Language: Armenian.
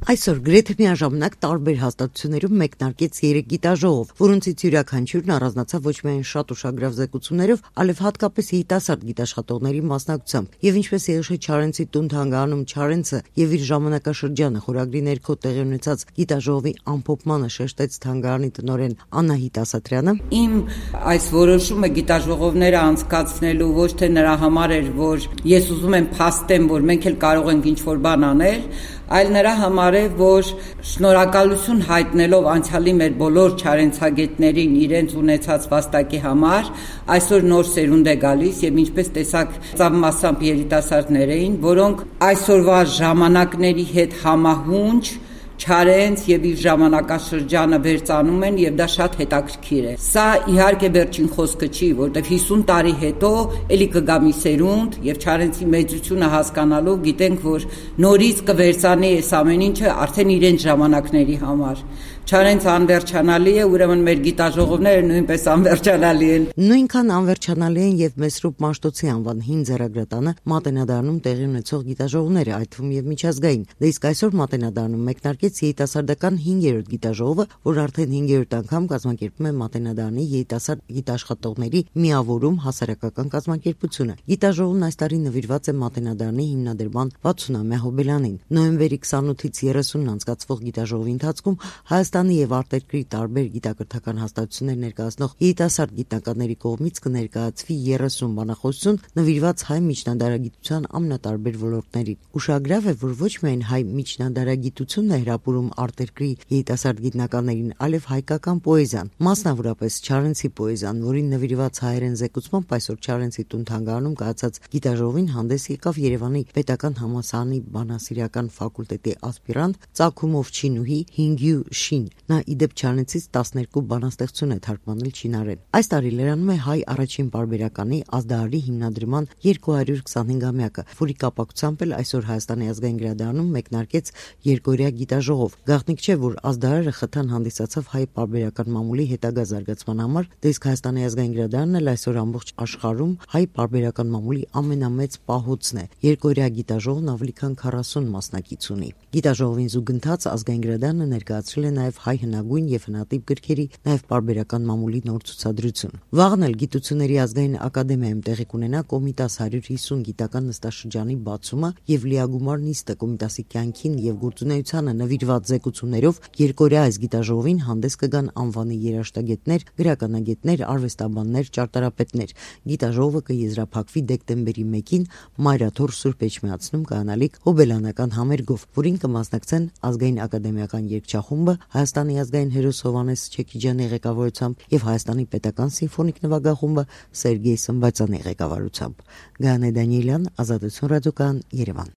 Այսօր գրեթե միաժամանակ տարբեր հաստատություններում մեկնարկեց 3 գիտաժողով, որոնցից յուրաքանչյուրն առանձնացավ ոչ միայն շատ ուշագրավ զեկուցումներով, այլև հատկապես երիտասարդ գիտաշխատողների մասնակցությամբ։ Եվ ինչպես Եղիշե Չարենցի տուն-թանգարանում Չարենցը եւ իր ժամանակաշրջանը խորագրի ներքո տեղի ունեցած գիտաժողովի ամփոփմանը շեշտեց թանգարանի տնօրեն Անահիտ Ասատրյանը, իմ այս որոշումը գիտաժողովները անցկացնելու ոչ թե նրա համար էր, որ ես ուզում եմ փաստեմ, որ մենք էլ կարող ենք ինչ-որ բան անել, այլ նրա համար է, որ շնորհակալություն հայտնելով անցյալի մեր բոլոր չարենցագետներին իրենց ունեցած վաստակի համար, այսօր նոր սերունդ է գալիս եւ ինչպես տեսակ ծավալմասամբ երիտասարդներ էին, որոնք այսօրվա ժամանակների հետ համահունչ Չարենց եւ իր ժամանակաշրջանը վերծանում են եւ դա շատ հետաքրքիր է։ Սա իհարկե վերջին խոսքը չի, որտեվ 50 տարի հետո էլի կգա մի սերունդ եւ Չարենցի մեծությունը հասկանալով գիտենք, որ նորից կվերծանի այս ամեն ինչը արդեն իրենց ժամանակների համար։ Չարենցը անվերջանալի է, ուրեմն մեր գիտաժողովները նույնպես անվերջանալի են։ Նույնքան անվերջանալի են եւ Մեսրոպ Մաշտոցի անվան հին ձեռագրատանը Մատենադարանում տեղի ունեցող գիտաժողովները, այդ թվում եւ միջազգային։ Դե իսկ այսօր Մատենադարանում մեկնարկեց երիտասարդական 5-րդ գիտաժողովը, որ արդեն 5-րդ անգամ կազմակերպում է Մատենադարանի երիտասարդ գիտաշխատողների միավորում հասարակական կազմակերպությունը։ Գիտաժողովն այս տարի նվիրված է Մատենադարանի հիմնադրման 60-ամյա հոբելյանին։ Նոյեմբերի 28-ից 30-ն անցկացվող գիտաժողովի ընթացքում Հայաստանի եւ արտերկրի տարբեր գիտակրթական հաստատություններ ներկայացնող երիտասարդ գիտնականների կողմից կներկայացվի 30 բանախոսություն նվիրված հայ միջնադարագիտության ամենատարբեր ոլորտներին։ Ուշագրավ է, որ ոչ միայն հայ միջնադարագիտությունն է հրապուրում արտերկրի երիտասարդ գիտնականներին, այլև հայկական պոեզիան, մասնավորապես Չարենցի պոեզիան, որին նվիրված հայերեն զեկուցմամբ այսօր Չարենցի տուն-թանգարանում կայացած գիտաժողովին հանդես եկավ Երևանի Պետական համալսարանի բանասիրական ֆակուլտետի ասպիրանտ Ծագումով Չինուհի Հինգյու Շին։ Նա իդեպ Չարենցից 12 բանաստեղծություն է թարգմանել չինարեն։ Այս տարի լրանում է հայ առաջին պարբերականի ազդահարի հիմնադրման 225-ամյակը, որի կապակցությամբ էլ այսօր Հայաստանի ազգային գրադարանում մեկնարկեց երկօրյա գիտաժողով։ Գաղտնիք չէ, որ ազդահարը խթան հանդիսացավ հայ պարբերական մամուլի հետագա զարգացման համար, իսկ Հայաստանի ազգային գրադարանն էլ այսօր ամբողջ աշխարհում հայ պարբերական մամուլի ամենամեծ պահոցն է։ Երկօրյա գիտաժողովն ավելի քան 40 մասնակից ունի։ Գիտաժողովին զուգընթաց ազգային գրադարանը ներկայացրել է նաև հայ հնագույն եւ հնատիպ գրքերի, նաև պարբերական մամուլի նոր ցուցադրություն։ Վաղն էլ Գիտությունների ազգային ակադեմիայում տեղի կունենա Կոմիտաս 150 գիտական նստաշրջանի բացումը եւ լիագումար նիստը Կոմիտասի կյանքին եւ գործունեությանը նվիրված զեկուցումներով երկօրյա այս գիտաժողովին հանդես կգան անվանի երաժշտագետներ, գրականագետներ, արվեստաբաններ, ճարտարապետներ։ Գիտաժողովը կեզրափակվի դեկտեմբերի 1-ին Մայրաթոր Սուրբ Էջմիածնում կանալիք հոբելյանական համերգով, որին կմասնակցեն ազգային ակադեմիական երգչախումբը, Հայաստանի ազգային հերոս Հովհաննես Չեքիջյանի ղեկավարությամբ եւ Հայաստանի պետական սիմֆոնիկ նվագախումբը Սերգեյ Սմբացյանի ղեկավարությամբ։ Գայանե Դանիելյան, Ազատություն ռադիոկայան, Երևան։